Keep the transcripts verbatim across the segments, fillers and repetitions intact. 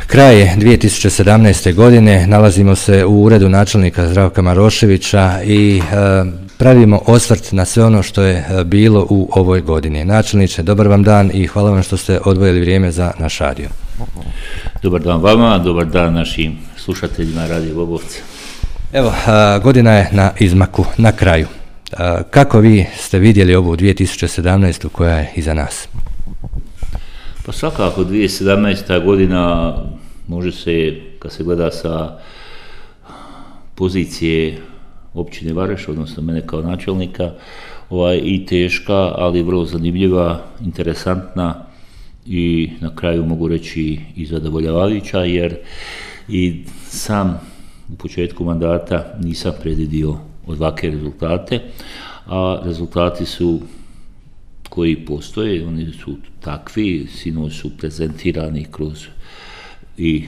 Kraj je dvije tisuće sedamnaeste. godine, nalazimo se u uredu načelnika Zdravka Maroševića i e, pravimo osvrt na sve ono što je e, bilo u ovoj godini. Načelniče, dobar vam dan i hvala vam što ste odvojili vrijeme za naš radio. Dobar dan vama, dobar dan našim slušateljima Radio Bobovca. Evo, a, godina je na izmaku, na kraju. A, kako vi ste vidjeli ovu dvije tisuće sedamnaestu. koja je iza nas? Pa svakako dvije tisuće sedamnaesta. godina može se, kad se gleda sa pozicije općine Vareš, odnosno mene kao načelnika, ovaj, i teška, ali vrlo zanimljiva, interesantna i na kraju mogu reći i zadovoljavajuća, jer i sam u početku mandata nisam predvidio ovakve rezultate, a rezultati su koji postoje, oni su takvi, sinoć su prezentirani kroz i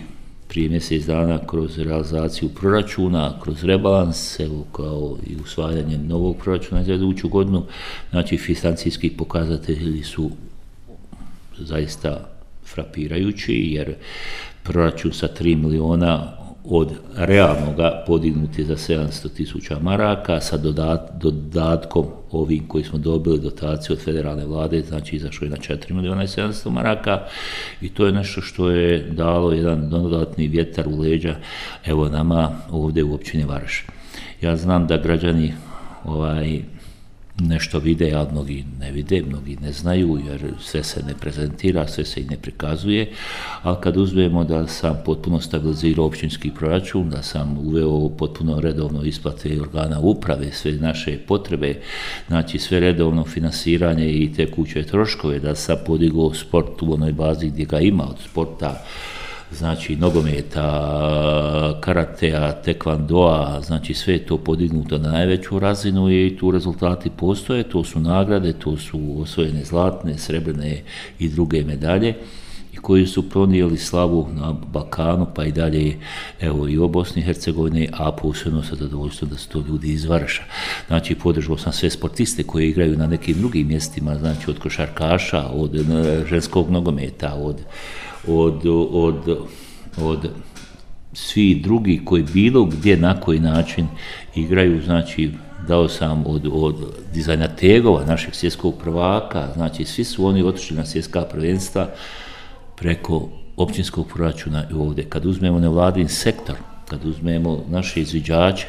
prije mjesec dana kroz realizaciju proračuna, kroz rebalans, evo kao i usvajanje novog proračuna za iduću godinu. Znači, financijski pokazatelji su zaista frapirajući, jer proračun sa tri miliona od realnoga podignut je za sedamsto tisuća maraka, sa dodat, dodatkom ovim koji smo dobili dotaciju od federalne vlade, znači izašlo je na četiri miliona i sedamsto maraka, i to je nešto što je dalo jedan dodatni vjetar u leđa evo nama ovdje u općini Vareš. Ja znam da građani ovaj nešto vide, a mnogi ne vide, mnogi ne znaju, jer sve se ne prezentira, sve se i ne prikazuje, ali kad uzmemo da sam potpuno stabilizirao općinski proračun, da sam uveo potpuno redovno isplate organa uprave, sve naše potrebe, znači sve redovno finansiranje i tekuće troškove, da sam podigao sport u onoj bazi gdje ga ima, od sporta, znači nogometa, karatea, tekvandoa, znači sve je to podignuto na najveću razinu i tu rezultati postoje, to su nagrade, to su osvojene zlatne, srebrne i druge medalje i koji su pronijeli slavu na Balkanu, pa i dalje evo i u Bosni i Hercegovini, a posebno sa zadovoljstvom da su to ljudi iz Vareša. Znači, podržao sam sve sportiste koji igraju na nekim drugim mjestima, znači od košarkaša, od ženskog nogometa, od Od, od, od svi drugi koji bilo gdje na koji način igraju, znači dao sam od, od dizajna tegova, našeg svjetskog prvaka, znači svi su oni otišli na svjetska prvenstva preko općinskog proračuna i ovdje. Kad uzmemo nevladin sektor, kad uzmemo naše izviđače,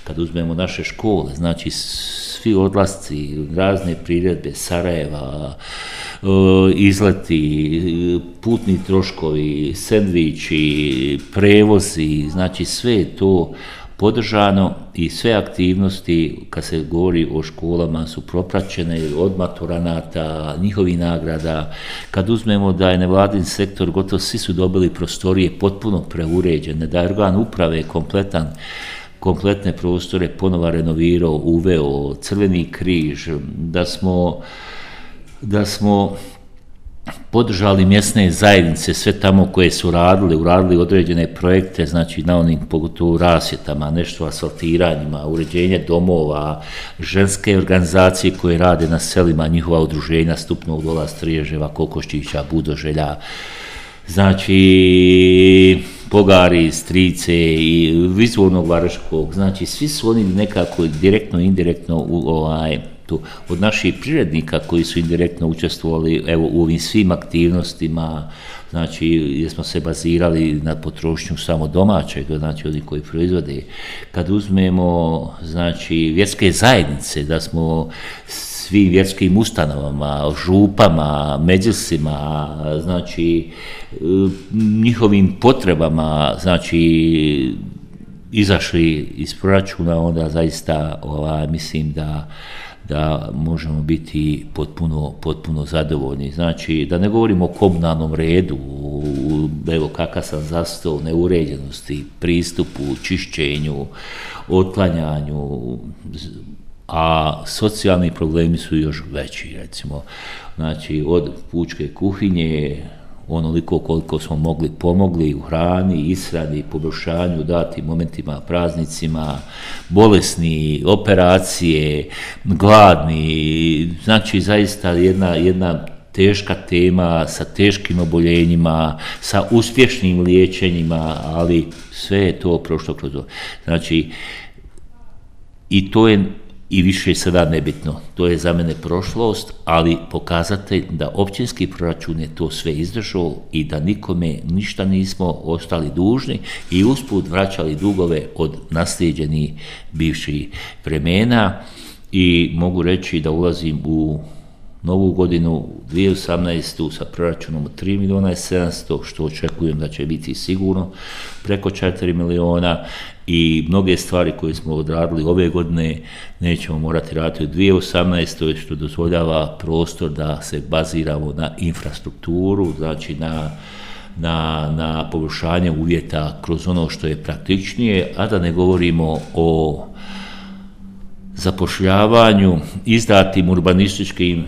kad uzmemo naše škole, znači svi odlasci, razne priredbe, Sarajeva, izleti, putni troškovi, sendviči, prevozi, znači sve je to podržano i sve aktivnosti, kad se govori o školama, su propraćene od maturanata, njihovi nagrada. Kad uzmemo da je nevladin sektor, gotovo svi su dobili prostorije potpuno preuređene, da je organ uprave kompletan, kompletne prostore ponova renovirao, uveo Crveni križ, da smo da smo podržali mjesne zajednice, sve tamo koje su radili, uradili određene projekte, znači na onim pogotovo rasvjetama, nešto asfaltiranjima, uređenje domova, ženske organizacije koje rade na selima, njihova udruženja Stupnog dola, Striježeva, Kokoščića, Budoželja, znači Pogari, Strice i Izvornog Vareškog, znači svi su oni nekako direktno, indirektno u ovaj tu. Od naših prirednika koji su indirektno učestvovali evo, u ovim svim aktivnostima, znači jer smo se bazirali na potrošnju samo domaćeg, znači oni koji proizvode. Kad uzmemo znači vjerske zajednice, da smo svim vjerskim ustanovama, župama, međusima, znači njihovim potrebama, znači izašli iz proračuna, onda zaista ovaj, mislim da da možemo biti potpuno, potpuno zadovoljni. Znači, da ne govorimo o komunalnom redu, evo kakav sam zastao, neuređenosti, pristupu, čišćenju, otklanjanju, a socijalni problemi su još veći, recimo. Znači, od pučke kuhinje, onoliko koliko smo mogli pomogli u hrani, ishrani, poboljšanju, dati momentima, praznicima, bolesni, operacije, gladni, znači zaista jedna, jedna teška tema, sa teškim oboljenjima, sa uspješnim liječenjima, ali sve je to prošlo kroz ovo. Znači, i to je i više sada nebitno. To je za mene prošlost, ali pokazatelj da općinski proračun je to sve izdržao i da nikome ništa nismo ostali dužni i usput vraćali dugove od naslijeđenih bivših vremena i mogu reći da ulazim u novu godinu dvije tisuće osamnaestu sa proračunom od tri milijuna i sedamsto, što očekujem da će biti sigurno preko četiri milijuna i mnoge stvari koje smo odradili ove godine nećemo morati raditi u dvije tisuće osamnaestoj, što dozvoljava prostor da se baziramo na infrastrukturu, znači na, na, na poboljšanje uvjeta kroz ono što je praktičnije, a da ne govorimo o zapošljavanju, izdatim urbanističkim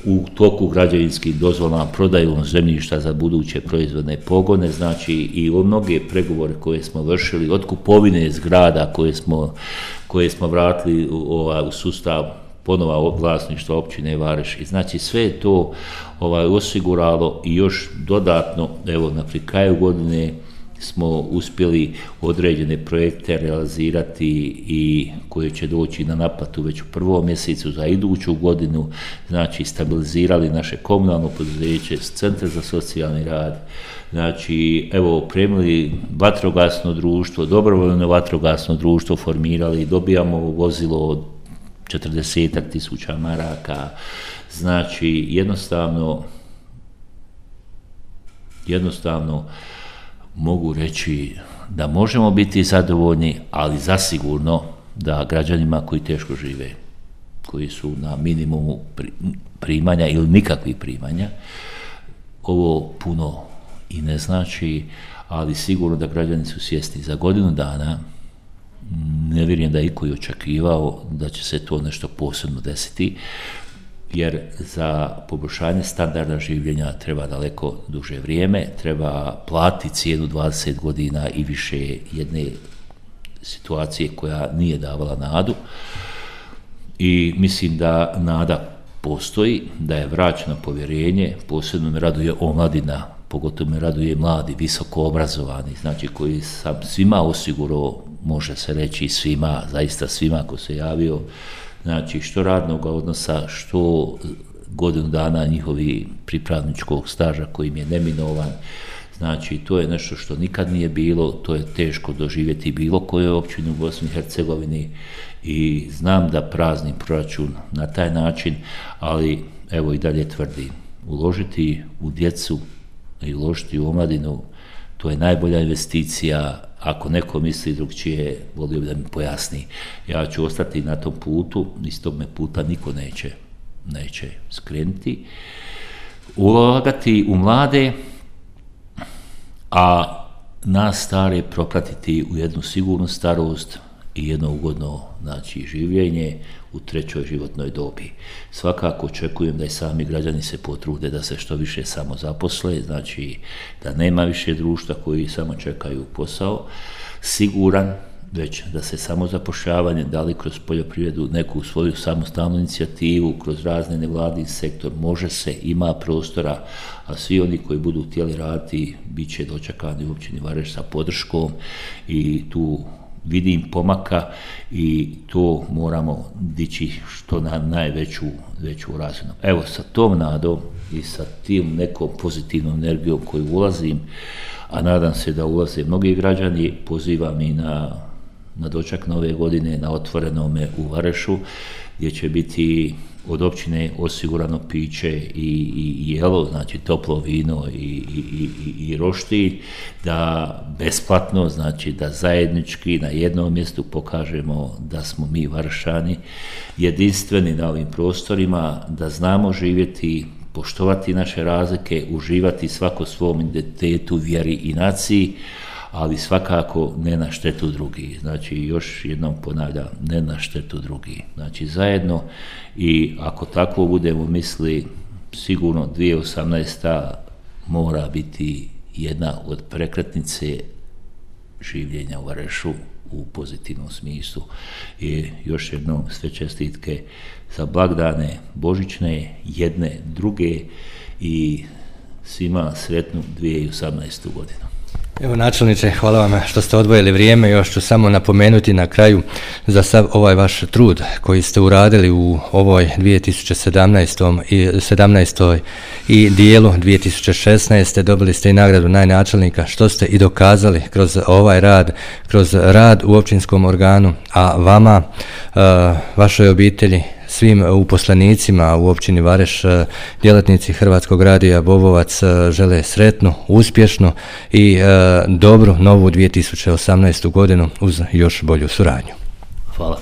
u toku građevinskim dozvolama, prodajom zemljišta za buduće proizvodne pogone, znači i o mnoge pregovore koje smo vršili, od kupovine zgrada koje smo, koje smo vratili u, ovaj, u sustav ponova vlasništva općine Vareš. I znači sve je to ovaj, osiguralo i još dodatno, evo na pri kraju godine smo uspjeli određene projekte realizirati i koje će doći na naplatu već u prvom mjesecu za iduću godinu, znači stabilizirali naše komunalno poduzeće, centre za socijalni rad, znači evo opremili vatrogasno društvo, dobrovoljno vatrogasno društvo formirali, dobijamo vozilo od četrdesetak tisuća maraka, znači jednostavno jednostavno mogu reći da možemo biti zadovoljni, ali zasigurno da građanima koji teško žive, koji su na minimumu primanja ili nikakvih primanja, ovo puno i ne znači, ali sigurno da građani su svjesni. Za godinu dana ne vjerujem da je iko i očekivao da će se to nešto posebno desiti, jer za poboljšanje standarda življenja treba daleko duže vrijeme, treba platiti cijenu dvadeset godina i više jedne situacije koja nije davala nadu i mislim da nada postoji, da je vraćeno povjerenje, posebno me raduje omladina, pogotovo me raduje mladi, visoko obrazovani, znači koji sam svima osigurao, može se reći svima, zaista svima ko se javio, znači što radnog odnosa, što godinu dana njihovi pripravničkog staža kojim je neminovan, znači to je nešto što nikad nije bilo, to je teško doživjeti bilo koje općine u Bosni i Hercegovini i znam da praznim proračun na taj način, ali evo i dalje tvrdim, uložiti u djecu i uložiti u omladinu, to je najbolja investicija. Ako neko misli drugčije, volio bi da mi pojasni. Ja ću ostati na tom putu, iz tog me puta niko neće, neće skrenuti. Ulagati u mlade, a nas stare propratiti u jednu sigurnu starost i jedno ugodno, znači, življenje u trećoj životnoj dobi. Svakako očekujem da i sami građani se potrude da se što više samo zaposle, znači da nema više društva koji samo čekaju posao, siguran, već da se samozapošljavanje, da li kroz poljoprivredu, neku svoju samostalnu inicijativu, kroz razne nevladin sektor, može se, ima prostora, a svi oni koji budu htjeli raditi, bit će dočekani u općini Vareš sa podrškom i tu vidim pomaka i to moramo dići što na najveću veću razinu. Evo, sa tom nadom i sa tim nekom pozitivnom energijom koju ulazim, a nadam se da ulaze mnogi građani, pozivam i na, na doček nove godine na otvorenome u Varešu, gdje će biti od općine osigurano piće i, i, i jelo, znači toplo vino i, i, i, i roštilj, da besplatno, znači da zajednički na jednom mjestu pokažemo da smo mi Varešani jedinstveni na ovim prostorima, da znamo živjeti, poštovati naše razlike, uživati svako svom identitetu, vjeri i naciji, ali svakako ne na štetu drugih. Znači, još jednom ponavljam, ne na štetu drugih. Znači, zajedno i ako tako budemo misli, sigurno dvije tisuće osamnaesta mora biti jedna od prekretnice življenja u Varešu u pozitivnom smislu. I još jednom sve čestitke za blagdane božićne, jedne, druge i svima sretnu dvije tisuće osamnaestu godinu. Evo načelniče, hvala vam što ste odvojili vrijeme. Još ću samo napomenuti na kraju za sav ovaj vaš trud koji ste uradili u ovoj dvije tisuće sedamnaestoj i dijelu dvije tisuće šesnaeste. Dobili ste i nagradu najnačelnika, što ste i dokazali kroz ovaj rad, kroz rad u općinskom organu, a vama, vašoj obitelji, svim uposlenicima u općini Vareš, djelatnici Hrvatskog radija Bobovac žele sretnu, uspješnu i dobru novu dvije tisuće osamnaestu godinu uz još bolju suradnju. Hvala.